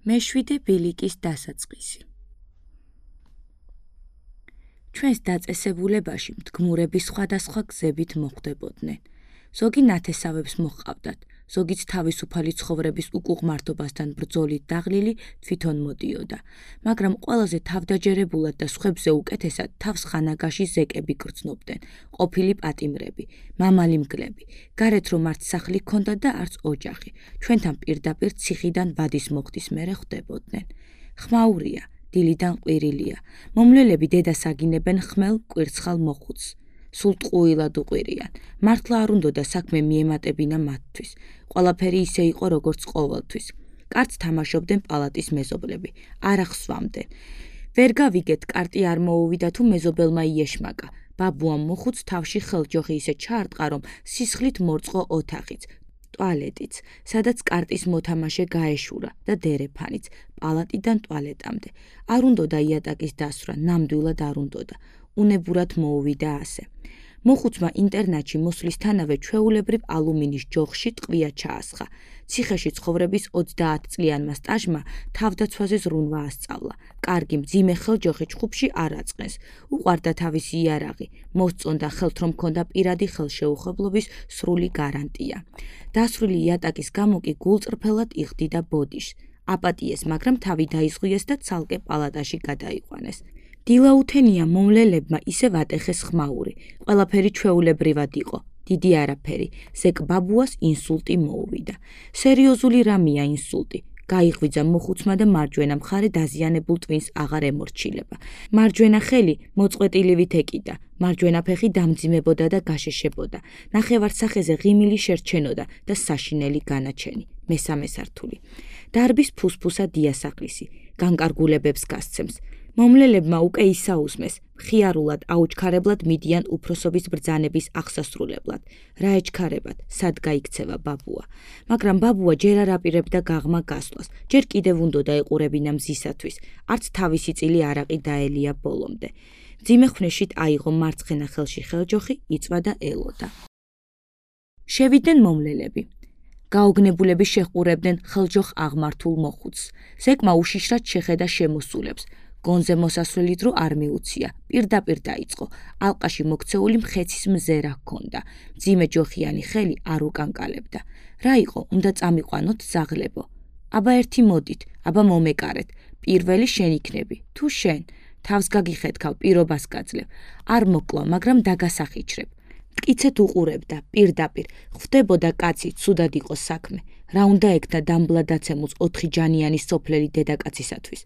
მეშვიდე ბილიკის დასაწყისი. ჩვენს დაწესებულებაში მდგმურები სხვადასხვა გზებით მოხვდებოდნენ. ზოგი ნათესავებს მოჰყავდათ, ზოგიც თავისუფალი ცხოვრების უკუღმართობასთან ბრძოლით დაღლილი თვითონ მოდიოდა, მაგრამ ყველაზე თავდაჯერებულად და სხვებზე უკეთესად თავს ხანაგაში ზეკები გრძნობდნენ, ყოფილი პატიმრები, მამალი მგლები, გარეთ რომ არც სახლი ჰქონდათ და არც ოჯახი, ჩვენთან პირდაპირ ციხიდან ვადის მოხდის მერე ხვდებოდნენ. ხმაურია, დილიდან ყვირილია, მომლელები დედას აგინებენ ხმელ კვირცხალ მოხუცს. სულ ტყუილად უყვირიან, მართლა არ უნდოდა საქმე მიემატებინა მათთვის, ყველაფერი ისე იყო როგორც ყოველთვის. კარტს თამაშობდნენ პალატის მეზობლები, არ ახსვამდნენ. ვერ გავიგეთ, კარტი არ მოუვიდა თუ მეზობელმა იეშმაკა, ბაბუამ მოხუც თავში ხელჯოხი ისე ჩაარტყა, რომ სისხლით მორწყო ოთახიც, ტუალეტიც, სადაც კარტის მოთამაშე გაეშურა და დერეფანიც, პალატიდან ტუალეტამდე. არ უნდოდა იატაკის დასვრა, ნამდვილად არ უნდოდა. უნებურად მოუვიდა ასე. მოხუცმა ინტერნატში მოსვლისთანავე ჩვეულებრივ ალუმინის ჯოხში ტყვია ჩაასხა. ციხეში ცხოვრების 30 წლიანმა სტაჟმა თავდაცვაზე ზრუნვა ასწავლა. კარგი მძიმე ხელჯოხი ჩხუბში არ აწყენს. უყვარდა თავისი იარაღი, მოსწონდა ხელთ რომ ჰქონდა პირადი ხელშეუხებლობის სრული გარანტია. დასრული იატაკის გამო კი გულწრფელად იხდიდა ბოდიშს. აპატიეს, მაგრამ თავი დაიზღვიეს და ცალკე პალატაში გადაიყვანეს. დილაუთენია მომლელებმა ისე ვატეხეს ხმაური, ყველაფერი ჩვეულებრივად იყო, დიდი არაფერი, ზეკ ბაბუას ინსულტი მოუვიდა. სერიოზული რამეა ინსულტი, გაიღვიძა მოხუცმა და მარჯვენა მხარე დაზიანებულ ტვინს აღარ ემორჩილება. მარჯვენა ხელი მოწყვეტილივით ეკიდა, მარჯვენა ფეხი დამძიმებოდა და გაშეშებოდა. ნახევარსახეზე ღიმილი შერჩენოდა და საშინელი განაჩენი, მესამე სართული. დარბის ფუსფუსა დიასახლისი, განკარგულებებს გასცემს. მომლელებმა უკვე ისაუსმეს, მხიარულად აუჩქარებლად მიდიან უფროსობის ბრძანების აღსასრულებლად. რა ეჩქარებათ, სად გაიქცევა ბაბუა. მაგრამ ბაბუა ჯერ არ აპირებდა გაღმა გასვლას, ჯერ კიდევ უნდოდა ეყურებინა მზისათვის, არც თავისი წილი არაყი დაელია ბოლომდე. მძიმე ხვნეშით აიღო მარცხენა ხელში ხელჯოხი, იწვა და ელოდა. შევიდნენ მომლელები. გაოგნებულები შეჰყურებდნენ ხელჯოხ აღმართულ მოხუცს. ზეკმა უშიშრად შეხედა შემოსულებს. გონზე მოსასვლელი დრო არ მიუცია, პირდაპირ დაიწყო, ალყაში მოქცეული მხეცის მზერა ჰქონდა, მძიმე ჯოხიანი ხელი არ უკანკალებდა. რა იყო, უნდა წამიყვანოთ ზაღლებო. აბა ერთი მოდით, აბა მომეკარეთ, პირველი შენ იქნები, თუ შენ, თავს გაგიხეთქავ, პირობას გაძლევ, არ მოკლავ, მაგრამ დაგასახიჩრებ. მტკიცეთ უყურებდა, პირდაპირ, ხვდებოდა კაცი, ცუდად იყო საქმე, რა უნდა ექნა დამბლადაცემულს 4 ჯანიანი სოფლელი დედაკაცისათვის.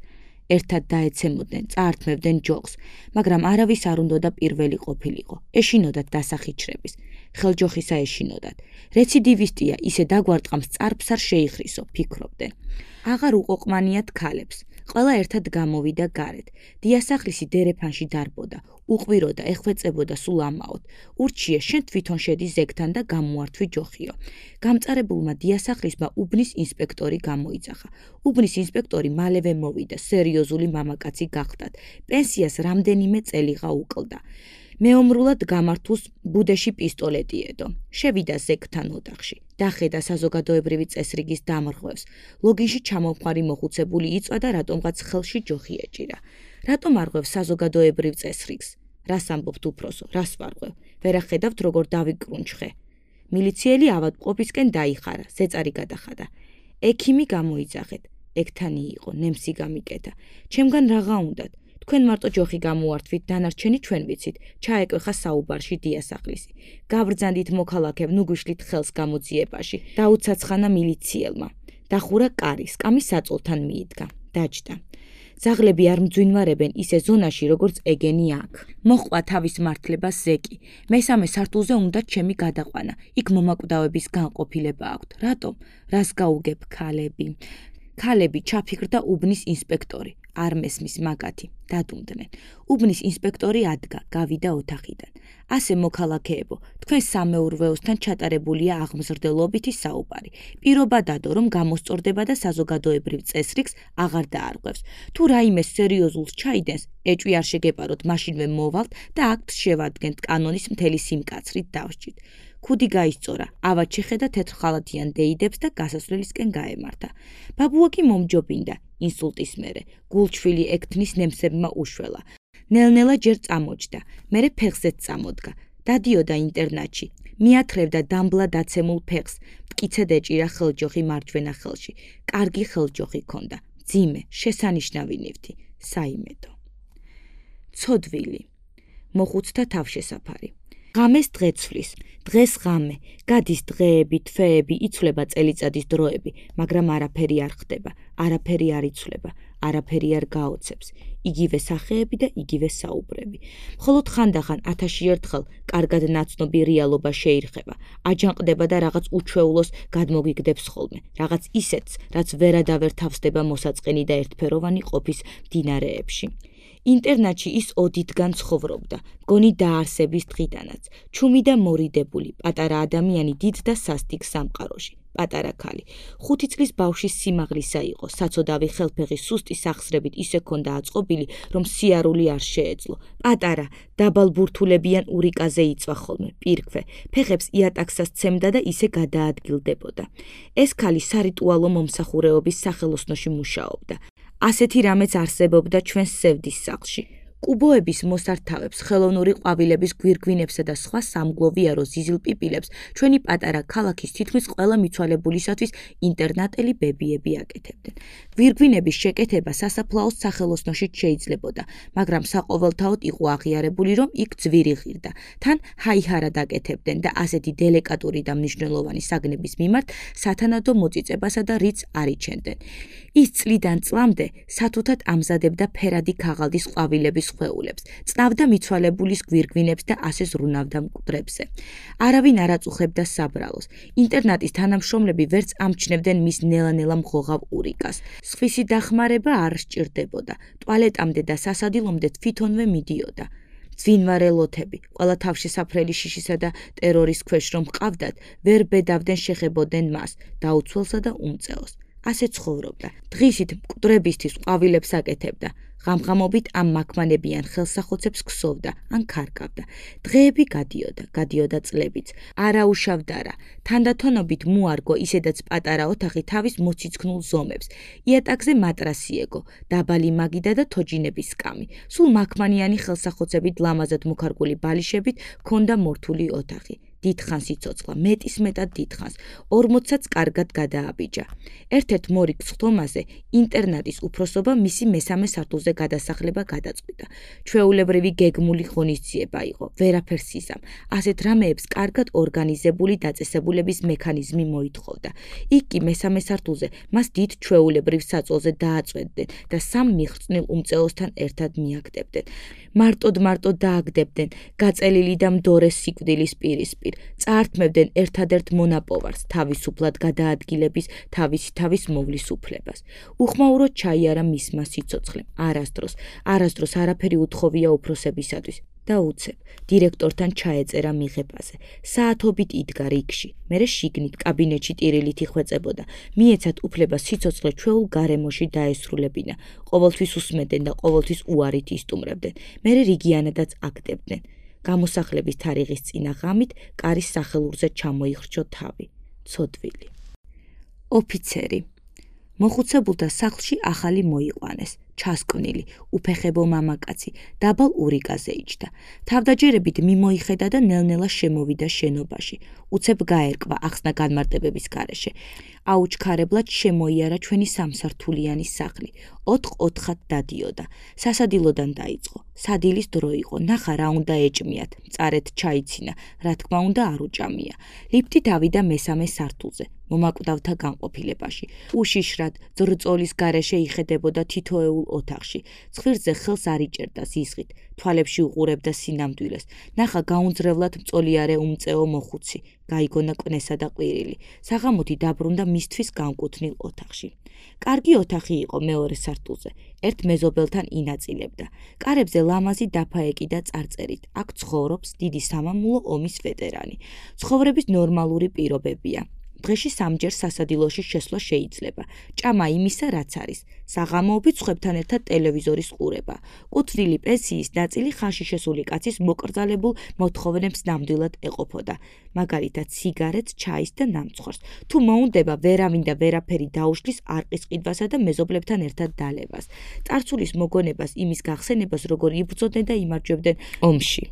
ერთად დაეცემოდნენ, წაართმევდნენ ჯოხს, მაგრამ არავის არ უნდოდა პირველი ყოფილიყო, ეშინოდათ დასახიჩრების, ხელჯოხისა ეშინოდათ. რეციდივისტია, ისე დაგვარტყამს წარბს არ შეიხრისო, ფიქრობდნენ. აღარ უყოყმანიათ ქალებს, ყველა ერთად გამოვიდა გარეთ, დიასახლისი დერეფანში დარბოდა, უყვიროდა, ეხვეწებოდა სულ ამაოდ. ურჩიე, შენ თვითონ შედი ზეგთან და გამოართვი ჯოხიო. გამწარებულმა დიასახლისმა უბნის ინსპექტორი გამოიძახა. უბნის ინსპექტორი მალევე მოვიდა, სერიოზული მამაკაცი გახდათ. პენსიას რამდენიმე წელიღა უკლდა. მეომრულად გამართულს ბუდეში პისტოლეტი ედო. შევიდა ზეგთან ოთახში. დახედა საზოგადოებრივი წესრიგის დამრღვევს. ლოგინში ჩამომხარი მოხუცებული იწვა და რატომღაც ხელში ჯოხი ეჭირა. რატომ არღვევს საზოგადოებრივ წესრიგს? რას ამბობთ უფროსო, რას ვარღვევ? ვერ ახედავთ როგორ დავიკრუნჩხე. მილიციელი ავადმყოფისკენ დაიხარა, ზეწარი გადახადა. ექიმი გამოიძახეთ. ექთანი იყო, ნემსი გამიკეთა. ჩემგან რაღა უნდათ? თქვენ მარტო ჯოხი გამოართვით, დანარჩენი ჩვენ ვიცით, ჩაეკვეხა საუბარში დიასახლისი. გავბრძანდით მოქალაქებ, ნუ გვიშლით ხელს გამოძიებაში, დაუცაცხანა მილიციელმა. დახურა კარი, სკამი საწოლთან მიიდგა, დაჯდა. ზაღლები არ მძვინვარებენ ისე ზონაში, როგორც ეგენი აქ. მოჰყვა თავის მართლებას ზეკი. მესამე სართულზე უნდა ჩემი გადაყვანა. იქ მომაკვდავების განყოფილება აქვთ. რატომ? რას გაუგებ ქალები? ქალები ჩაფიქრდა უბნის ინსპექტორი. არ მესმის მაგათი, დადუმდნენ. უბნის ინსპექტორი ადგა, გავიდა ოთახიდან. ასე მოქალაქეებო, თქვენ სამეურვეოსთან ჩატარებულია აღმზრდელობითი საუბარი. პირობა დადო, რომ გამოსწორდება და საზოგადოებრივ წესრიგს აღარ დაარღვევს. თუ რაიმე სერიოზულს ჩაიდენს, ეჭვი არ შეგეპაროთ, მაშინვე მოვალთ და აქტს შევადგენთ კანონის მთელი სიმკაცრით დავსჯით. ქუდი გაისწორა, ავად შეხედა თეთრ ხალათიან დეიდებს და გასასვლელისკენ გაემართა. ბაბუა კი მომჯობინდა, ინსულტის მერე, გულჩვილი ექთნის ნემსებმა უშველა. ნელ-ნელა ჯერ წამოჯდა, მერე ფეხზეც წამოდგა. დადიოდა ინტერნატში, მიათრევდა დამბლა დაცემულ ფეხს, მტკიცედ ეჭირა ხელჯოხი მარჯვენა ხელში. კარგი ხელჯოხი ჰქონდა, მძიმე, შესანიშნავი ნივთი, საიმედო. ცოდვილი. მოხუცთა თავშესაფარი. ღამეს დღეცვლის, დღეს ღამე, გადის დღეები, თვეები, იცვლება წელიწადის დროები, მაგრამ არაფერი არ ხდება, არაფერი არ იცვლება, არაფერი არ გაოცებს, იგივე სახეები და იგივე საუბრები. მხოლოდ ხანდახან 1000 ერთხელ კარგად ნაცნობი რეალობა შეირხება, აჯანყდება და რაღაც უჩვეულოს გადმოგიგდებს ხოლმე, რაღაც ისეთს, რაც ვერადავერ თავსდება მოსაწყენი და ერთფეროვანი ყოფის მდინარეებში. ინტერნატში ის ოდითგან ცხოვრობდა, მგონი დაარსების დღიდანაც, ჩუმი და მორიდებული, პატარა ადამიანი დიდ და სასტიკ სამყაროში, პატარა ქალი. 5 წლის ბავშვის სიმაღლისა იყო, საცოდავი ხელფეხი სუსტი სახსრებით ისე ქონდა აწყობილი, რომ სიარული არ შეეძლო. პატარა, დაბალბურთულებიან ურიკაზე იწვა ხოლმე, პირქვე, ფეხებს იატაკსას ცემდა და ისე გადაადგილდებოდა. ეს ქალი სარიტუალო მომსახურეობის სახელოსნოში მუშაობდა. ასეთი რამეც არსებობდა ჩვენს სევდის სახლში. კუბოების მოსართავებს, ხელოვნური ყვავილების გვირგვინებსა და სხვა სამგლოვიარო ზიზილ პიპილებს ჩვენი პატარა ქალაქის თითქმის ყველა მიცვალებულისათვის ინტერნატელი ბებიები აკეთებდნენ. გვირგვინების შეკეთება სასაფლაოს სახელოსნოშიც შეიძლებოდა, მაგრამ საყოველთაოდ იყო აღიარებული, რომ იქ ძვირი ღირდა. თან ჰაიჰარა დაკეთებდნენ და ასეთი დელიკატური და მნიშვნელოვანი საგნების მიმართ სათანადო მოწიწებასა და რიცს არ იჩენდნენ. ის წლიდან წლამდე სათუთად ამზადებდა ფერადი ქაღალდის ყვავილების ხვეულებს, წნავდა მიცვალებულის გვირგვინებს და ასე ზრუნავდა მკვდრებზე. არავინ არ აწუხებდა საბრალოს. ინტერნატის თანამშრომლები ვერც ამჩნევდნენ მის ნელა-ნელა მღოღავ ურიკას. სხვისი დახმარება არ სჭირდებოდა. ტუალეტამდე და სასადილომდე თვითონვე მიდიოდა. ძვინვარე ლოთები, ყველა თავშესაფრელი შიშისა და ტერორის ქვეშ რომ ჰყავდათ, ვერ ბედავდნენ შეხებოდნენ მას, დაუცველსა და უმწეოს. ასე ცხოვრობდა. დღისით მკვდრებისთვის ყვავილებს აკეთებდა. ღამღამობით ამ მაქმანებიან ხელსახოცებს ქსოვდა, ან ქარგავდა. დღეები გადიოდა წლებიც. არაუშავდა რა. თანდათანობით მოარგო ისედაც პატარა ოთახი თავის მოციცქნულ ზომებს. იატაკზე მატრასი ეგო, დაბალი მაგიდა და თოჯინების სკამი. სულ მაქმანიანი ხელსახოცებით ლამაზად მოქარგული ბალიშებით ჰქონდა მორთული ოთახი. დიდხანს იცოცხლა, მეტისმეტად დიდხანს, 40-საც კარგად გადააბიჯა. ერთ-ერთ მორიგ სხდომაზე ინტერნატის უფროსობა მისი მესამე სართულზე გადასახლება გადაწყვიტა. ჩვეულებრივი გეგმული ღონისძიება იყო, ვერაფერს იზამ. ასეთ რამეებს კარგად ორგანიზებული დაწესებულების მექანიზმი მოითხოვდა. იქ კი მესამე სართულზე მას დიდ ჩვეულებრივ საწოლზე დააწვევდნენ და სამ მიხრწნილ უმწეოსთან ერთად მიაგდებდნენ. მარტოდ დააგდებდნენ გაწელილი და მდორე სიკვდილის პირისპირ. წაართმევდნენ ერთადერთ მონაპოვარს, თავისუფლად გადაადგილების თავის მოვლის უფლებას. უხმაუროდ ჩაიარა მისმა სიცოცხლემ, არასდროს არაფერი უთხოვია უფროსებისათვის და უცებ დირექტორთან ჩაეწერა მიღებაზე. საათობით იდგა რიგში, მერე შიგნით კაბინეტში ტირილით იხვეწებოდა. მიეცათ უფლება სიცოცხლე ჩვეულ გარემოში დაესრულებინა. ყოველთვის უსმენდნენ და ყოველთვის უარით ისტუმრებდნენ. მერე რიგიანადაც აგდებდნენ. გამოსახლების თარიღის წინა ღამით კარის სახელურზე ჩამოიხრჩო თავი. ცოდვილი. ოფიცერი. მოხუცებულთა სახლში ახალი მოიყვანეს. ჩასკვნილი, უფეხებო მამაკაცი, დაბალ ურიკაზე იჯდა. თავდაჯერებით მიმოიხედა და ნელ-ნელა შემოვიდა შენობაში. უცებ გაერკვა ახსნა განმარტებების გარეშე. აუჩქარებლად შემოიარა ჩვენი სამსართულიანი სახლი. 4-4-ად დადიოდა. სასადილოდან დაიწყო. სადილის დრო იყო. ნახა რა უნდა ეჭმიათ. მწარედ ჩაიცინა. რა თქმა უნდა არ უჭამია. ლიფტით ავიდა მესამე სართულზე. მომაკვდავთა განყოფილებაში. უშიშრად, ძრწოლის გარეშე იხედებოდა თითოეულ ოთახში. ცხვირზე ხელს არ იჭერდა ზიზღით. თვალებში უყურებდა სინამდვილეს. ნახა გაუნძრევლად მწოლიარე უმწეო მოხუცი. გაიგონა კვნესა და ყვირილი. საღამოთი დაბრუნდა მისთვის განკუთვნილ ოთახში. კარგი ოთახი იყო მეორე სართულზე. ერთ მეზობელთან ინაწილებდა. კარებზე ლამაზი დაფა ეკიდა წარწერით. აქ ცხოვრობს დიდი სამამულო ომის ვეტერანი. ცხოვრების ნორმალური პირობებია. დღეში 3 ჯერ სასადილოში შესვლა შეიძლება. ჭამა იმისა, რაც არის. საღამოობით სხვებთან ერთად ტელევიზორის ყურება. კუთვნილი პენსიის ნაწილი ხანში შესული კაცის მოკრძალებულ მოთხოვნებს ნამდვილად ეყოფოდა. მაგალითად, სიგარეტს, ჩაის და ნამცხვარს. თუ მოუნდება, ვერავინ და ვერაფერი დაუშლის არყის ყიდვასა და მეზობლებთან ერთად დალევას. წარსულის მოგონებას, იმის გახსენებას, როგორ იბრძოდნენ და იმარჯვებდნენ ომში.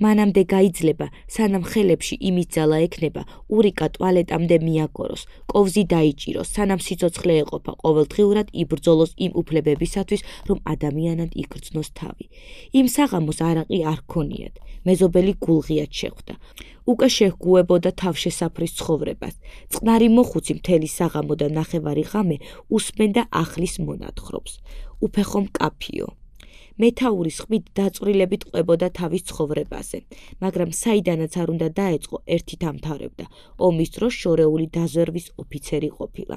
მანამდე გაიძლება, სანამ ხელებში იმის ძალა ექნება, ურიკა ტუალეტამდე მიაგოროს, კოვზი დაიჭიროს, სანამ სიცოცხლე ეყოფა, ყოველდღიურად იბრძოლოს იმ უფლებებისათვის, რომ ადამიანად იგრძნოს თავი. იმ საღამოს არაყი არ ქონიათ, მეზობელი გულღიად შეხვდა. უკვე შეჰგუებოდა თავშესაფრის ცხოვრებას. წყნარი მოხუცი მთელი საღამო და ნახევარი ღამე უსმენდა ახლის მონათხრობს. უფეხო მკაფიო. მეთაურის ხმით დაწვრილებით ყვებოდა თავის ცხოვრებაზე, მაგრამ საიდანაც არ უნდა დაეწყო, ერთი დამთავრებდა. ომის დროს შორეული დაზვერვის ოფიცერი ყოფილა.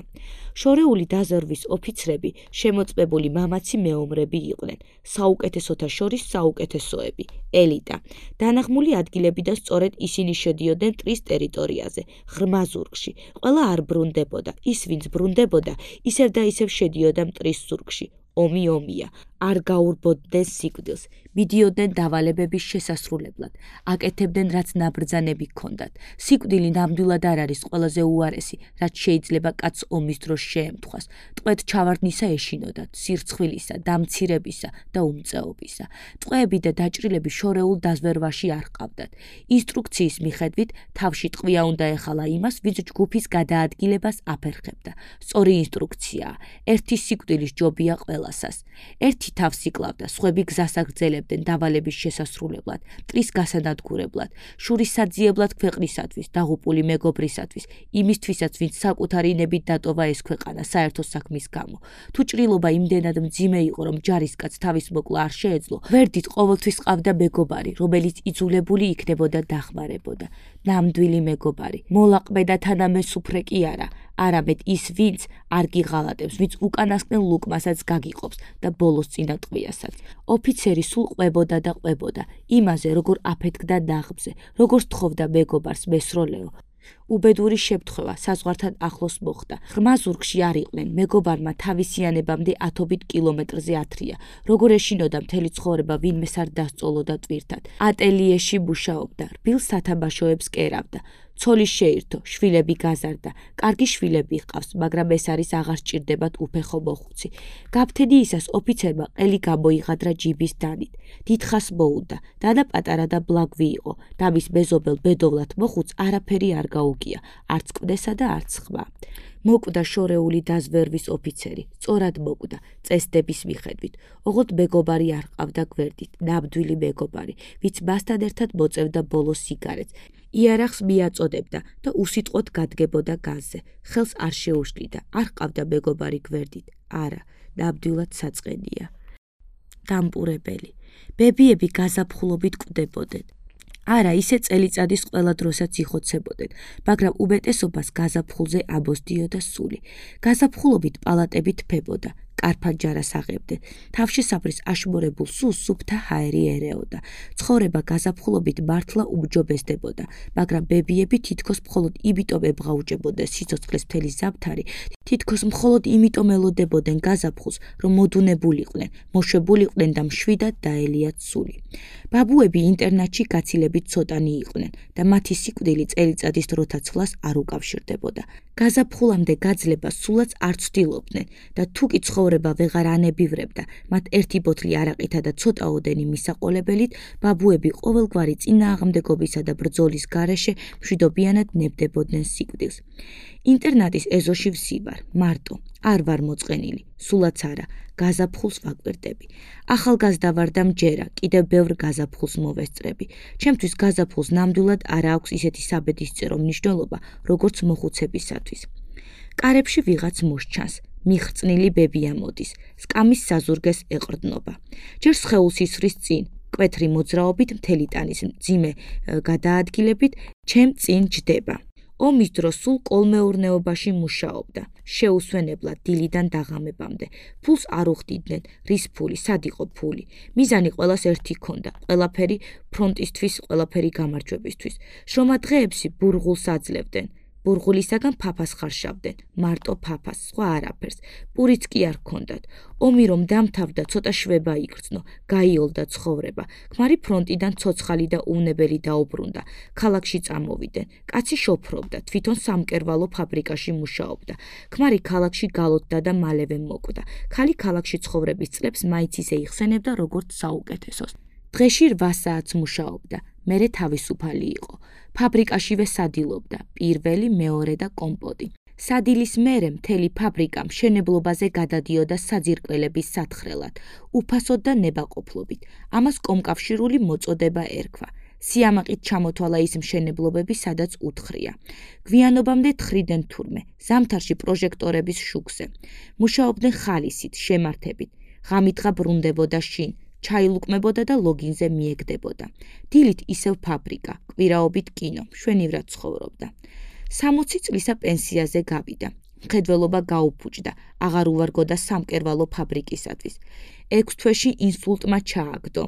შორეული დაზვერვის ოფიცრები შემოწმებული მამაცი მეომრები იყვნენ, საუკეთესოთა შორის საუკეთესოები, ელიტა. დანაღმული ადგილებიდან სწორედ ისინი შედიოდნენ ტრის ტერიტორიაზე, ღრმა ზურგში. ყველა არ ბრუნდებოდა, ის ვინც ბრუნდებოდა, ისევ და ისევ შედიოდა მტრის ზურგში. ომი ომია, არ გაურბოდნენ სიკვდილს, მიდიოდნენ დავალებების შესასრულებლად, აკეთებდნენ რაც ნაბრძანები ჰქონდათ. სიკვდილი ნამდვილად არ არის ყველაზე უარესი, რაც შეიძლება კაცს ომის დროს შეემთხვას. ტყვედ ჩავარდნისა ეშინოდათ, სირცხვილისა, დამცირებისა და უმწეობისა. ტყვეები და დაჭრილები შორეულ დაზვერვაში არ ჰყავდათ. ინსტრუქციის მიხედვით თავში ტყვია უნდა ეხალა იმას, ვინც ჯგუფის გადაადგილებას აფერხებდა. სწორი ინსტრუქციაა, ერთი სიკვდილის ჯობია ყველასას. ერთი თავს იკლავდა, სხვები გზას აგრძელებდნენ დავალების შესასრულებლად, მტრის გასანადგურებლად, შურის საძიებლად ქვეყნისათვის, დაღუპული მეგობრისათვის, იმისთვისაც, ვინც საკუთარი ნებით დატოვა ეს ქვეყანა საერთო საქმის გამო. თუ ჭრილობა იმდენად მძიმე იყო, რომ ჯარისკაცს თავის მოკლა არ შეეძლო, გვერდით ყოველთვის ყავდა მეგობარი, რომელიც იძულებული იქნებოდა დახმარებოდა. ნამდვილი მეგობარი, მოლაყბე და თანამესუფრე კი არა, არამედ ის, ვინც არ გიღალატებს, ვინც უკანასკნელ ლუკმასაც გაგიყოფს და ბოლოს წინა ტყვიასაც. ოფიცერი სულ ყვებოდა და ყვებოდა, იმაზე, როგორ აფეთქდა ნაღმზე, როგორ თხოვდა მეგობარს მესროლეო. უბედური შემთხვევა საზღვართან ახლოს მოხდა. ღრმა ზურგში არ იყვნენ, მეგობარმა თავისიანებამდე 10 კილომეტრზე ათრია. როგორ ეშინოდა მთელი ცხოვრება ვინმეს არ დასწოლოდა ტვირთად. ატელიეში მუშაობდა, რბილ სათამაშოებს კერავდა. ცოლი შეირთო, შვილები გაზარდა, კარგი შვილები ჰყავს, მაგრამ ეს არის აღარ სჭირდებათ უფეხო მოხუცი. გაფთედი ისას ოფიცერმა ყელი გამოიღადრა ჯიბის დანით. დიდხას მოუნდა, დადა პატარა და ბლაგვი იყო, და მის მეზობელ ბედოვლად მოხუც არაფერი არ გაუგია, არც კვდესა და არც ხმა. მოკვდა შორეული დაზვერვის ოფიცერი, სწორად მოკვდა, წესდების მიხედვით. ოღონდ მეგობარი არ ყავდა გვერდით, ნამდვილი მეგობარი, ვინც მასთან ერთად მოწევდა ბოლოს სიგარეტს. იარაღს მიაწოდებდა და უსიტყვოდ გადგებოდა განზე. ხელს არ შეუშლიდა, არ ყავდა მეგობარი გვერდით. არა, ნამდვილად საწყენია. დამპურებელი. ბებიები გაზაფხულობით კვდებოდნენ. არა, ისე წელიწადის ყველა დროსაც იხოცებოდნენ, მაგრამ უმეტესობას გაზაფხულზე ამოსდიოდა სული. გაზაფხულობით პალატები თფებოდა, კარფანჯარას აღებდნენ. თავშესაფრის აშმორებულ სულს სუფთა ჰაერი ერეოდა. ცხოვრება გაზაფხულობით მართლა უმჯობესდებოდა, მაგრამ ბებიები თითქოს მხოლოდ იმიტომ ებღაუჭებოდნენ სიცოცხლის მთელი ზამთარი, თითქოს მხოლოდ იმიტომ ელოდებოდნენ გაზაფხულს, რომ მოდუნებულიყვნენ, მოშვებულიყვნენ და მშვიდად დაელიათ სული. ბაბუები ინტერნატში გაცილებით ცოტანი იყვნენ და მათი სიკვდილი წელიწადის დროთა ცვლას არ უკავშირდებოდა. გაზაფხულამდე გაძლებას სულაც არ ცდილობდნენ და თუ კი ცხოვრება ვეღარ ანებივრებდა, მათ ერთი ბოთლი არაყითა და ცოტაოდენი მისაყოლებელით, ბაბუები ყოველგვარი წინააღმდეგობისა და ბრძოლის გარეშე მშვიდობიანად ნებდებოდნენ სიკვდილს. ინტერნატის ეზოში ვსივარ, მარტო, არ ვარ მოწყენილი, სულაც არა, გაზაფხულს ვაკვირდები. ახალგაზრდა ვარ და მჯერა, კიდევ ბევრ გაზაფხულს მოვესწრები. ჩემთვის გაზაფხულს ნამდვილად არ აქვს ისეთი საბედისწერო მნიშვნელობა, როგორც მოხუცებისათვის. კარებში ვიღაც მოსჩანს, მიხრწნილი ბებია მოდის, სკამის საზურგეს ეყრდნობა. ჯერ სხეულს ისვრის წინ, კვეთრი მოძრაობით მთელი ტანის მძიმე გადაადგილებით, ჩემ წინ ჯდება. ომის დროს სულ კოლმეურნეობაში მუშაობდა, შეუსვენებლად დილიდან დაღამებამდე. ფულს არ უხდიდნენ, რის ფული, სად იყო ფული. მიზანი ყველას ერთი ჰქონდა, ყველაფერი ფრონტისთვის, ყველაფერი გამარჯვებისთვის. შრომა დღეებში ბურღულს აძლევდნენ. ბურღულისაგან ფაფას ხარშავდნენ, მარტო ფაფას, სხვა არაფერს, პურიც კი არ ჰქონდათ. ომი რომ დამთავრდა, ცოტა შვება იგრძნო, გაიოლდა ცხოვრება. ქმარი ფრონტიდან ცოცხალი და უვნებელი დაუბრუნდა. ქალაქში წამოვიდნენ. კაცი შოფრობდა, თვითონ სამკერვალო ფაბრიკაში მუშაობდა. ქმარი ქალაქში გალოდდა და მალევე მოკვდა. ქალი ქალაქში ცხოვრების წლებს მაინც ისე იხსენებდა, როგორც საუკეთესოს. დღეში 8 საათს მუშაობდა, მერე თავისუფალი იყო. ფაბრიკაშივე სადილობდა, პირველი, მეორე და კომპოტი. სადილის მერე მთელი ფაბრიკა მშენებლობაზე გადადიოდა საძირკველების სათხრელად, უფასოდ და ნებაყოფლობით. ამას კომკავშირული მოწოდება ერქვა. სიამაყით ჩამოთვალა ის მშენებლობები, სადაც უთხრია. გვიანობამდე თხრიდნენ თურმე, ზამთარში პროჟექტორების შუქზე. მუშაობდნენ ხალისით, შემართებით. ღამით-ღა ბრუნდებოდა შინ. ჩაილუკმებოდა და ლოგინზე მიეგდებოდა. დილით ისევ ფაბრიკა, კვირაობით კინო, მშვენივრად ცხოვრობდა. 60 წლისა პენსიაზე გავიდა. მხედველობა გაუფუჭდა, აღარ უვარგოდა სამკერვალო ფაბრიკისათვის. 6 თვეში ინსულტმა ჩააგდო.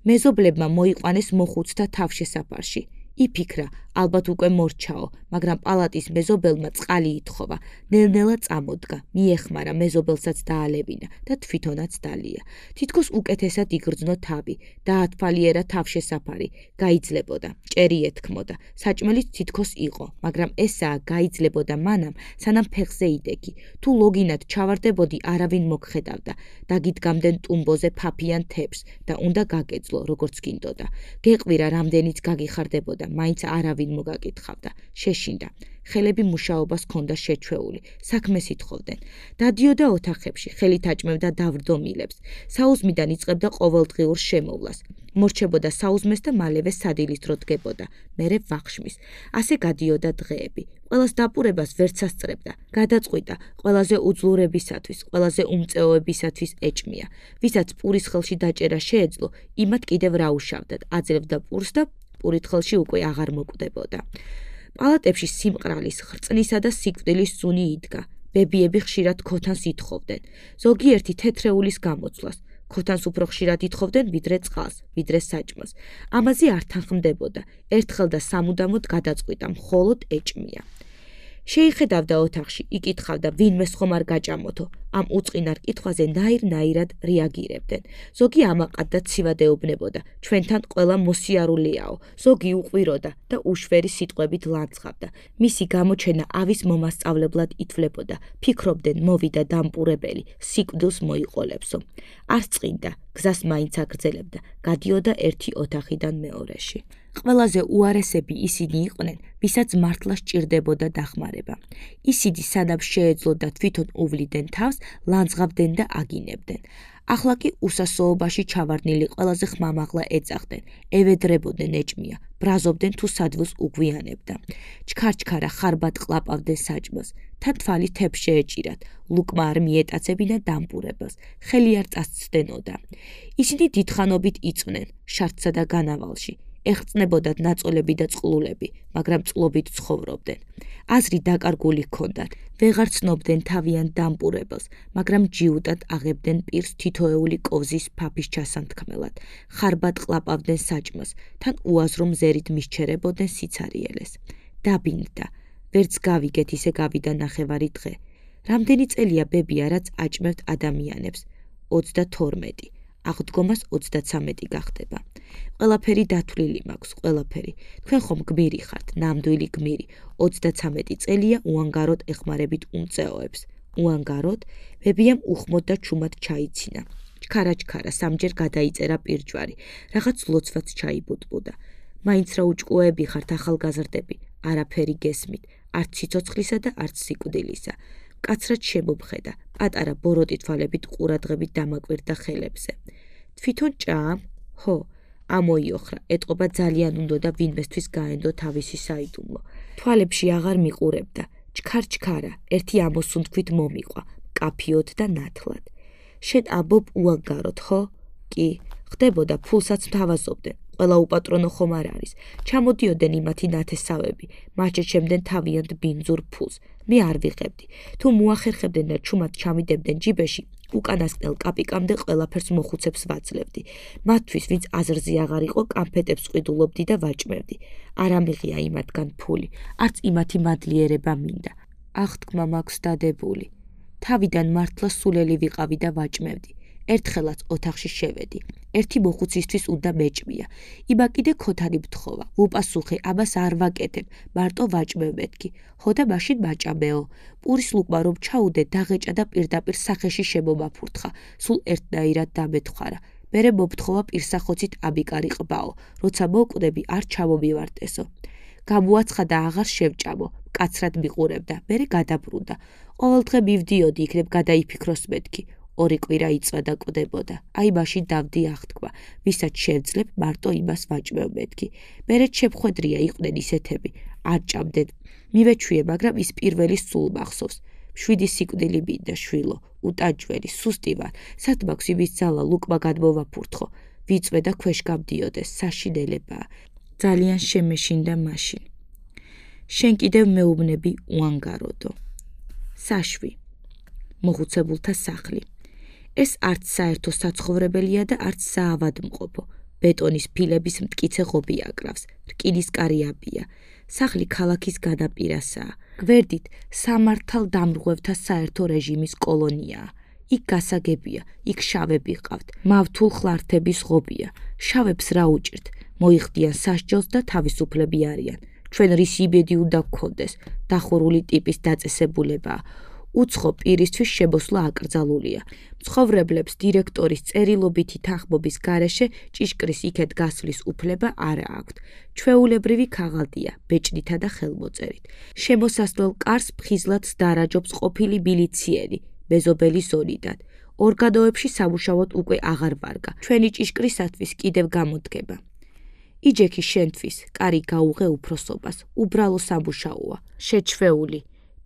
მეზობლებმა მოიყვანეს მოხუცთა თავშესაფარში. იფიქრა, ალბათ უკვე მორჩაო, მაგრამ პალატის მეზობელმა წყალი ითხოვა. ნელ-ნელა წამოდგა, მიეხმარა, მეზობელსაც დაალევინა და თვითონაც დალია. თითქოს უკეთესად იგრძნო თავი, დაათვალიერა თავშესაფარი, გაიძლებოდა, ჭერი ეთქმოდა. საჭმელიც თითქოს იყო, მაგრამ ესაა გაიძლებოდა მანამ, სანამ ფეხზე იდეგი. თუ ლოგინად ჩავარდებოდი, არავინ მოგხედავდა. დაგიდგამდნენ ტუმბოზე ფაფიან თეფს და უნდა გაგეძლო, როგორც გინდოდა. გეყვირა, რამდენიც გაგიხარდებოდა, მაინც არავინ მოგაკითხავდა. შეშინდა. ხელები მუშაობას ჰქონდა შეჩვეული, საქმეს ითხოვდნენ. დადიოდა ოთახებში, ხელით აჭმევდა დავრდომილებს. საუზმიდან იწყებდა ყოველდღიურ შემოვლას. მორჩებოდა საუზმეს და მალევე სადილის დრო დგებოდა, მერე ვახშმის. ასე გადიოდა დღეები. ყველას დაპურებას ვერც ასწრებდა. გადაწყვიტა, ყველაზე უძლურებისათვის, ყველაზე უმწეოებისათვის ეჭმია. ვისაც პურის ხელში დაჭერა შეეძლო, იმათ კიდევ რა უშავდათ, აძლევდა პურს და პურით ხელში უკვე აღარ მოკვდებოდა. პალატებში სიმყრალის, ხრწნისა და სიკვდილის სუნი იდგა. ბებიები ხშირად ქოთანს ითხოვდნენ. ზოგიერთი თეთრეულის გამოცვლას. ქოთანს უფრო ხშირად ითხოვდნენ, ვიდრე წყალს, ვიდრე საჭმელს. ამაზე არ თანხმდებოდა. ერთხელ და სამუდამოდ გადაწყვიტა, მხოლოდ ეჭმია. შეიხედავდა ოთახში, იკითხავდა, ვინმეს ხომ არ გაჭამოთო. ამ უწყინარ კითხვაზე ნაირ-ნაირად რეაგირებდნენ. ზოგი ამაყად და ცივად ეუბნებოდა, ჩვენთან ყველა მოსიარულეაო, ზოგი უყვიროდა და უშვერი სიტყვებით ლანძღავდა. მისი გამოჩენა ავის მომასწავლებლად ითვლებოდა. ფიქრობდნენ, მოვიდა დამპურებელი, სიკვდილს მოიყოლებსო. არ წყინდა, გზას მაინც აგრძელებდა, გადიოდა ერთი ოთახიდან მეორეში. ყველაზე უარესები ისინი იყვნენ, ვისაც მართლა სჭირდებოდა დახმარება. ისინი სანამ შეეძლოდა თვითონ უვლიდნენ თავს, ლანძღავდნენ და აგინებდნენ. ახლა კი უსასოობაში ჩავარდნილი ყველაზე ხმამაღლა ეძახდნენ, ევედრებოდნენ ეჭმია, ბრაზობდნენ თუ სადვილს უგვიანებდა. ჩქარჩქარა ხარბად ყლაპავდნენ საჭმელს, თან თვალი თეფს შეეჭირათ, ლუკმა არ მიეტაცებინა დამპურებელს, ხელი არ წასცდენოდა. ისინი დიდხანობით იწვნენ, შარდსა და განავალში. ეხწნებოდათ ნაწოლები და წყლულები, მაგრამ წყლობით ცხოვრობდნენ. აზრი დაკარგული ჰქონდათ, ვეღარ ცნობდნენ თავიან დამპურებელს, მაგრამ ჯიუტად აღებდნენ პირს თითოეული კოვზის ფაფის ჩასანთქმელად. ხარბად ყლაპავდნენ საჭმელს, თან უაზრო მზერით მისჩერებოდნენ სიცარიელეს. დაბინდდა, ვერც გავიგეთ ისე გავიდა ნახევარი დღე. რამდენი წელია ბებია, რაც აჭმევთ ადამიანებს? 32. აღდგომას 33 გახდება. ყველაფერი დათვლილი მაქვს, ყველაფერი. თქვენ ხომ გმირი ხართ, ნამდვილი გმირი. 33 წელია უანგაროდ ეხმარებით უმწეოებს. უანგაროდ, ბებიამ უხმოდ და ჩუმად ჩაიცინა. ჩქარა-ჩქარა, სამჯერ გადაიწერა პირჯვარი. რაღაც ლოცვაც ჩაიბუტბუდა. მაინც რა უჭკუეები ხართ ახალგაზრდები, არაფერი გესმით, არც სიცოცხლისა და არც სიკვდილისა. კაცრად შემობხედა, პატარა ბოროტი თვალებით ყურადღებით დამაკვირდა ხელებზე. თვითონ ჭაამ? ჰო, ამოიოხრა, ეტყობა ძალიან უნდოდა ვინმესთვის გაენდო თავისი საიდუმლო. თვალებში აღარ მიყურებდა, ჩქარ-ჩქარა, ერთი ამოსუნთქვით მომიყვა, კაფიოდ და ნათლად. შენ ამბობ უანგაროდ, ხო? კი, ხდებოდა, ფულსაც მთავაზობდნენ. ყველა უპატრონო ხომ არ არის. ჩამოდიოდნენ იმათი ნათესავები, მათ შეჩემდნენ თავიანთ ბინძურ ფულს. მე არ ვიღებდი. თუ მოახერხებდნენ და ჩუმად ჩამიდებდნენ ჯიბეში, უკანასკნელ კაპიკამდე ყველაფერს მოხუცებს ვაძლევდი. მათთვის, ვინც აზრზე აღარ იყო, კანფეტებს ყიდულობდი და ვაჭმევდი. არ ამიღია იმათგან ფული, არც იმათი მადლიერება მინდა. აღთქმა მაქვს დადებული. თავიდან მართლა სულელი ვიყავი და ვაჭმევდი. ერთხელაც ოთახში შევედი. ერთი მოხუცისთვის უნდა მეჭმია. იბა კიდე ქოთანი მთხოვა. ვუპასუხე, აბას არ ვაკეთებ, მარტო ვაჭმევ მეთქი. ხოდა მაშინ მაჭამეო. პურის ლუკმა რომ ჩაუდე, დაღეჭა და პირდაპირ სახეში შემომაფურთხა. სულ ერთნაირად დამეთხვარა. მერე მომთხოვა პირსახოცით აბიკარი ყბაო. როცა მოკვდები, არ ჩამომივარტესო. გამოაცხადა აღარ შევჭამო. კაცრად მიყურებდა, მერე გადაბრუნდა. ყოველდღე მივდიოდი იქნებ გადაიფიქროს მეთქი. 2 კვირა იწვა და კვდებოდა. აი მაშინ დავდი აღთქმა, ვისაც შევძლებ, მარტო იმას ვაჭმევ მეთქი. მერე შეფხვედრია იყვნენ ისეთები, არ ჭამდნენ. მივეჩვიე, მაგრამ ის პირველი სულ მახსოვს. 7 სიკვდილი მინდა შვილო, უტანჯველი, სუსტი ვარ. სად მაქვს იმის ძალა ლუკმა გადმოვაფურთხო. ვიწვე და ქვეშ გამდიოდეს, საშინელებაა. ძალიან შემეშინდა მაშინ. შენ კიდევ მეუბნები უანგაროდო. საშვი. მოხუცებულთა სახლი. ეს არც საერთო საცხოვრებელია და არც საავადმყოფო. ბეტონის ფილების მტკიცე ღობი აკრავს, რკინისკარი სახლი ქალაქის განაპირასაა. გვერდით სამართალ დამრღვევთა საერთო რეჟიმის კოლონიაა. იქ გასაგებია, იქ შავები ყავთ, მავთულ ხლართების ღობია. შავებს რა უჭირთ? მოიხდიან სასჯელს და თავისუფლები არიან. ჩვენ რის იმედი უნდა გქონდეს, დახურული ტიპის დაწესებულებაა. უცხო პირისთვის შემოსვლა აკრძალულია. მცხოვრებლებს დირექტორის წერილობითი თანხმობის გარეშე ჭიშკრის იქეთ გასვლის უფლება არ აქვთ. ჩვეულებრივი ქაღალდია, ბეჭდითა და ხელმოწერით. შემოსასვლელ კარს ფხიზლად დარაჯობს ყოფილი მილიციელი, მეზობელი ზონიდან. ორგანოებში სამუშაოდ უკვე აღარ ვარგა. ჩვენი ჭიშკრისათვის კიდევ გამოდგება. იჯექი შენთვის, კარი გაუღე უფროსობას, უბრალო სამუშაოა, შეჩვეული.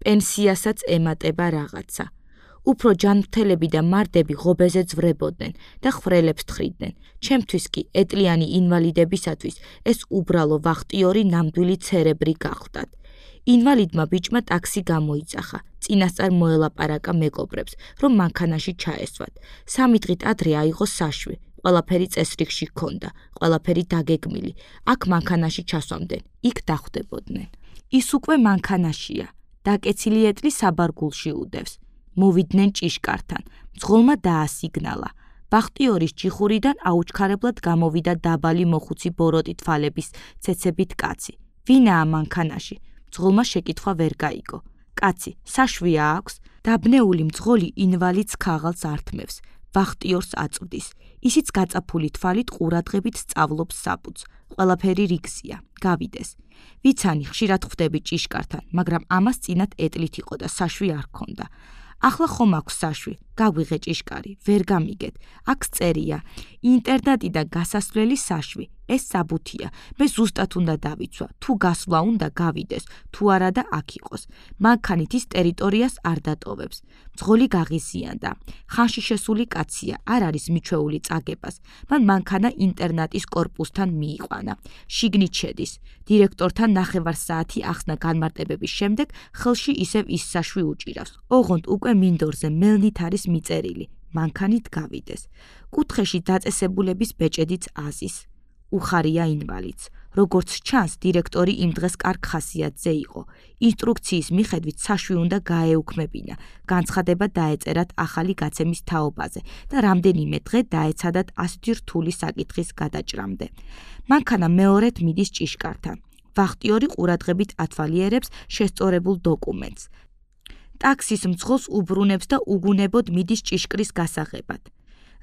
პენსიასაც ემატება რაღაცა. უფრო ჯანმრთელები და მარდები ღობეზე ძვრებოდნენ და ხრელებს თხრიდნენ. ჩემთვის კი ეტლიანი ინვალიდებისათვის ეს უბრალო ვახტიორი ნამდვილი ცერებრი გახლდათ. ინვალიდმა ბიჭმა ტაქსი გამოიძახა. წინასწარ მოელაპარაკა მეგობრებს, რომ მანქანაში ჩაესვათ. 3 დღით ადრე აიღო საშვი. ყველაფერი წესრიგში ჰქონდა, ყველაფერი დაგეგმილი. აქ მანქანაში ჩასვამდნენ, იქ დახვდებოდნენ. ის უკვე მანქანაშია. დაკეცილი ეტლი საბარგულში უდევს. მოვიდნენ ჭიშკართან. მძღოლმა დაასიგნალა. ვახტიორის ჯიხურიდან აუჩქარებლად გამოვიდა დაბალი მოხუცი ბოროტი თვალების ცეცებით კაცი. ვინაა მანქანაში? მძღოლმა შეკითხვა ვერ გაიგო. კაცი, საშვია აქვს? დაბნეული მძღოლი ინვალიდს ქაღალდს ართმევს. ვახტიორს აწვდის. ისიც გაწაფული თვალით ყურადღებით სწავლობს საბუთს. ყველაფერი რიგზია, გავიდეს. ვიცანი ხშირად ხვდები ჭიშკართან, მაგრამ ამას წინათ ეტლით იყო და საშვი არ ჰქონდა. ახლა ხომ აქვს საშვი, გაგვიღე ჭიშკარი, ვერ გამიგეთ. აქ წერია, ინტერნეტიდან გასასვლელი საშვი. ეს საბუთია. მე ზუსტად უნდა დავიცვა, თუ გასვლა უნდა გავიდეს, თუ არა და აქ იყოს. მანქანით ის ტერიტორიას არ დატოვებს. მძღოლი გაღიზიანდა. ხანში შესული კაცია, არ არის მიჩვეული წაგებას. მან მანქანა ინტერნატის კორპუსთან მიიყვანა. შიგნით შედის. დირექტორთან 9 საათი ახსნა განმარტებების შემდეგ ხელში ისევ ის საშვი უჭირავს. ოღონდ უკვე მინდორზე მელნით არის მიწერილი. მანქანით გავიდეს. კუთხეში დაწესებულების ბეჭედიც აზის. უხარია ინვალიდს. როგორც ჩანს, დირექტორი იმ დღეს კარგ ხასიათზე იყო. ინსტრუქციის მიხედვით საშვი უნდა გაეუქმებინა. განცხადება დაეწერათ ახალი გაცემის თაობაზე და რამდენიმე დღე დაეცადათ ასეთი რთული საკითხის გადაჭრამდე. მანქანა მეორედ მიდის ჭიშკართან. ვახტიორი ყურადღებით ათვალიერებს შესწორებულ დოკუმენტს. ტაქსის მძღოლს უბრუნებს და უგუნებოდ მიდის ჭიშკრის გასაღებად.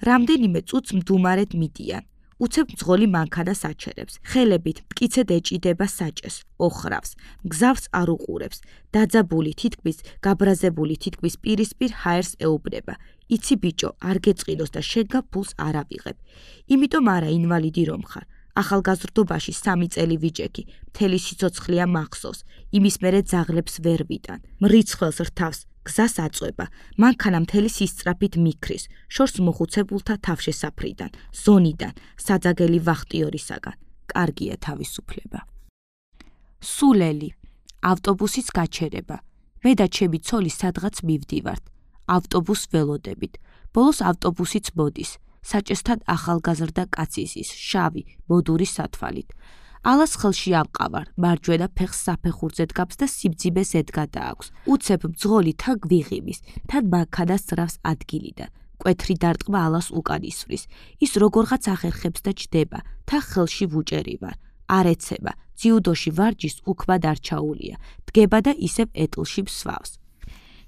რამდენიმე წუთს მდუმარედ მიდიან. უცებ მძღოლი მანქანას აჩერებს. ხელებით მტკიცედ ეჭიდება საჭეს, ოხრავს, მგზავრს არ უყურებს. დაძაბული თითქმის, გაბრაზებული თითქმის პირისპირ ჰაერს ეუბნება. იცი ბიჭო, არ გეწყინოს და შენგან ფულს არ ავიღებ. იმიტომ არა ინვალიდი რომ ხარ. ახალგაზრდობაში 3 წელი ვიჭექი, მთელი სიცოცხლეა მახსოვს. იმის მერე ძაღლებს ვერ ვიტან. მრიცხველს რთავს. გზას აწვება, მანქანა მთელი სისწრაფით მიქრის, შორს მოხუცებულთა თავშესაფრიდან, ზონიდან, საძაგელი ვახტიორისაგან. კარგია თავისუფლება. სულელი, ავტობუსის გაჩერება. მე და ჩემი ცოლი სადღაც მივდივართ. ავტობუს ველოდებით. ბოლოს ავტობუსიც მოდის. საჭესთან ახალგაზრდა კაცის ის, შავი, მოდური სათვალით. ალას ხელში ამყავარ, მარჯვენა ფეხს საფეხურზე დგამს და სიბძიმეს ედგა დააქვს. უცებ მძღოლი თან გვიღიმის, თან მანქანას ძრავს ადგილიდან. კვეთრი დარტყმა ალას უკან ისვრის. ის როგორღაც ახერხებს და ჯდება, თან ხელში ვუჭერი ვარ. არ ეცემა, ძიუდოში ვარჯის უქმად არ ჩაულია. დგება და ისევ ეტლში მსვავს.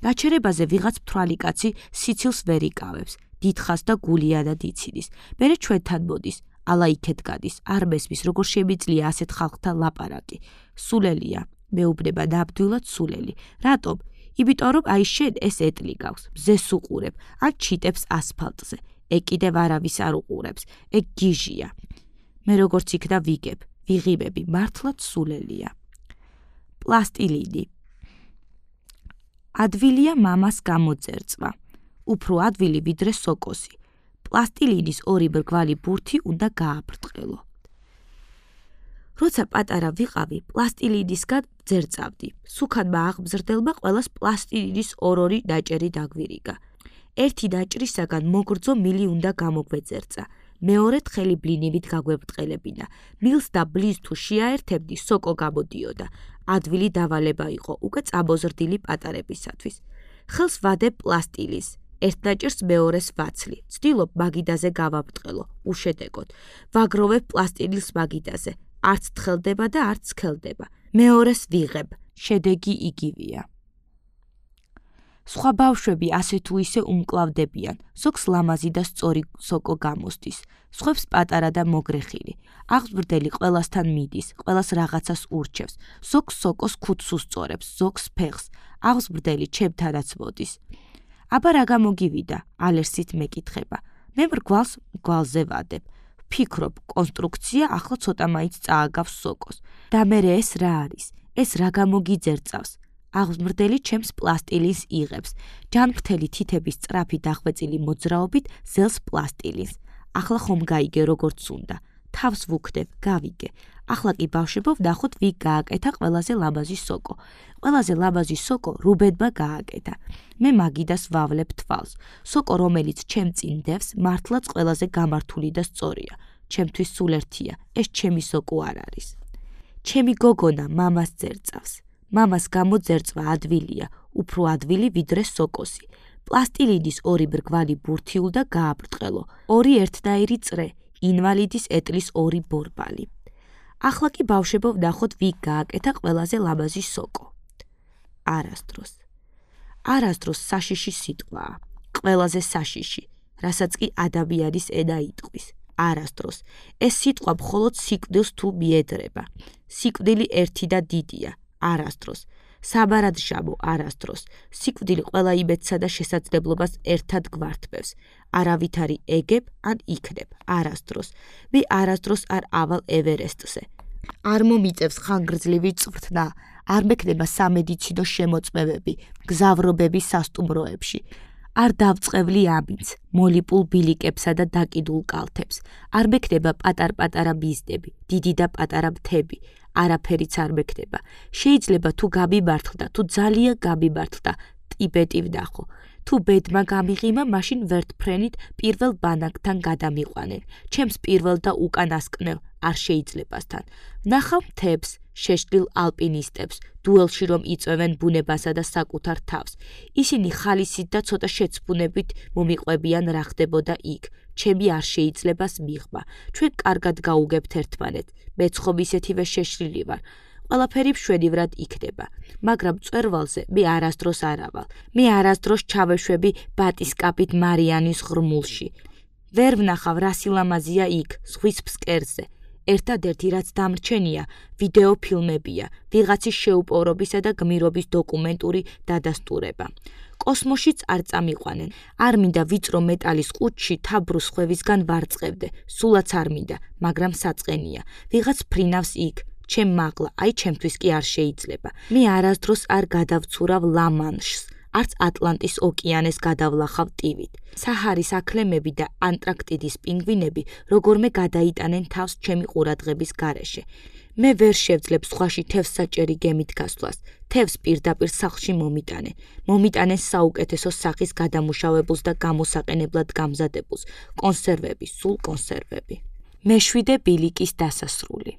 გაჩერებაზე ვიღაც მთვრალი კაცი სიცილს ვერ იკავებს. დიდხანს და გულიანად იციდის. მერე ჩვენთან მოდის. ალა იქეთ გადის, არ მესმის, როგორ შემიძლია ასეთ ხალხთან ლაპარაკი. სულელია, მეუბნება ნამდვილად სულელი. რატომ? იმიტომ რომ აი შენ ეს ეტლი გაქვს, მზეს უყურებ, ან ჩიტებს ასფალტზე. ეგ კიდევ არავის არ უყურებს, ეგ გიჟია. მე როგორც იქნა ვიგებ, ვიღიმები, მართლაც სულელია. პლასტილინი. ადვილია მამას გამოძერწვა. უფრო ადვილი ვიდრე სოკოსი. პლასტილინის ორი მრგვალი ბურთი უნდა გააბრტყელო. როცა პატარა ვიყავი, პლასტილინისგან ძერწავდი. სუქანმა აღმზრდელმა ყველას პლასტილინის ორ-ორი ნაჭერი დაგვირიგა. ერთი ნაჭრისაგან მოგრძო მილი უნდა გამოგვეძერწა. მეორედ ხელი ბლინივით გაგვებრტყელებინა. მილს და ბლის თუ შეაერთებდი, სოკო გამოდიოდა. ადვილი დავალება იყო, უკვე წამოზრდილი პატარებისათვის. ხელს ვადებ პლასტილის. ერთ ნაჭერს მეორეს ვაცლი. ცდილობ მაგიდაზე გავაბრტყელო, უშედეგოდ. ვაგროვებ პლასტილის მაგიდაზე. არც თხელდება და არც სქელდება. მეორეს ვიღებ, შედეგი იგივეა. სხვა ბავშვები ასე თუ ისე უმკლავდებიან, ზოგს ლამაზი და სწორი სოკო გამოსდის, სხვებს პატარა და მოგრეხილი. აღზრდელი ყველასთან მიდის, ყველას რაღაცას ურჩევს, ზოგს სოკოს ქუდს უსწორებს, ზოგს ფეხს, აღზრდელი ჩემთანაც მოდის. აბა რა გამოგივიდა, ალერსით მეკითხება. მე მრგვალზე ვადებ. ფიქრობ, კონსტრუქცია ახლა ცოტა მაინც წააგავს სოკოს. და მერე ეს რა არის? ეს რა გამოგიძერწავს? აღზრდელი ჩემს პლასტილინს იღებს. ჯანმრთელი თითების სწრაფი დახვეწილი მოძრაობით ზელს პლასტილინს. ახლა ხომ გაიგე როგორც უნდა. თავს ვუქნებ, გავიგე. ახლა კი ბავშვებო ვნახოთ ვინ გააკეთა ყველაზე ლამაზი სოკო. ყველაზე ლამაზი სოკო რუბენმა გააკეთა. მე მაგიდას ვავლებ თვალს. სოკო რომელიც ჩემ წინ დევს, მართლაც ყველაზე გამართული და სწორია. ჩემთვის სულ ერთია, ეს ჩემი სოკო არ არის. ჩემი გოგონა მამას ძერწავს. მამას გამოძერწვა ადვილია, უფრო ადვილი ვიდრე სოკოსი. პლასტილინის ორი მრგვალი ბურთი უნდა გააბრტყელო. ორი ერთნაირი წრე, ინვალიდის ეტლის ორი ბორბალი. ახლა კი ბავშვებო ვნახოთ ვინ გააკეთა ყველაზე ლამაზი სოკო. არასდროს. არასდროს საშიში სიტყვაა. ყველაზე საშიში, რასაც კი ადამიანის ენა იტყვის. არასდროს. ეს სიტყვა მხოლოდ სიკვდილს თუ მიედრება. სიკვდილი ერთი და დიდია. არასდროს. საბარადშამო არასდროს. სიკვდილი ყველა იმედსა და შესაძლებლობას ერთად გვართმევს. არავითარი ეგებ ან იქნებ. არასდროს. მე არასდროს არ ავალ ევერესტზე. არ მომიწევს ხანგრძლივი წვრთნა. არ მექნება სამედიცინო შემოწმებები, მგზავრობები სასტუმროებში. არ დავწყევლი ამინც, მოლიპულ ბილიკებსა და დაკიდულ კალთებს. არ მექნება პატარ-პატარა მიზნები, დიდი და პატარა მთები. არაფერიც არ მექნება. შეიძლება თუ გამიმართლდა, თუ ძალიან გამიმართლდა, ტიბეტი ვნახო. თუ ბედმა გამიღიმა, მაშინ ვერტფრენით პირველ ბანაკთან გადამიყვანენ. ჩემს პირველ და უკანასკნელ არ შეიძლებასთან. ვნახავ მთებს, შეშლილ ალპინისტებს, დუელში რომ იწვევენ ბუნებასა და საკუთარ თავს. ისინი ხალისით და ცოტა შეცფუნებით მომიყვებიან რა ხდებოდა იქ. ჩემი არ შეიძლებას მიღმა. ჩვენ კარგად გაუგებთ ერთმანეთს. მეც ხომ ისეთივე შეშლილი ვარ. ყველაფერი მშვენივრად იქნება. მაგრამ მწვერვალზე მე არასდროს არ ავალ. მე არასდროს ჩავეშვები ბატისკაპით მარიანის ღრმულში. ვერ ვნახავ რა სილამაზია იქ, ზღვის ფსკერზე. ერთადერთი რაც დამრჩენია, ვიდეო ფილმებია, ვიღაცის შეუპოვრობისა და გმირობის დოკუმენტური დადასტურება. კოსმოსშიც არ წამიყვანენ. არ მინდა ვიწრო მეტალის ყუთში თაბრუს ხვევისგან ვარწყევდე. სულაც არ მინდა, მაგრამ საწყენია. ვიღაც ფრინავს იქ. ჩემ მაღლა, აი ჩემთვის კი არ შეიძლება. მე არასდროს არ გადავცურავ ლა-მანშს. არც ატლანტის ოკეანეს გადავლახავ ტივით. საჰარის აქლემები და ანტარქტიდის პინგვინები როგორმე გადაიტანენ თავს ჩემი ყურადღების გარეშე. მე ვერ შევძლებ სხვაში თევზსაჭერი გემით გასვლას. თევზს პირდაპირ სახლში მომიტანენ საუკეთესო სახის გადამუშავებულს და გამოსაყენებლად გამზადებულს, კონსერვები, სულ კონსერვები. მეშვიდე ბილიკის დასასრული.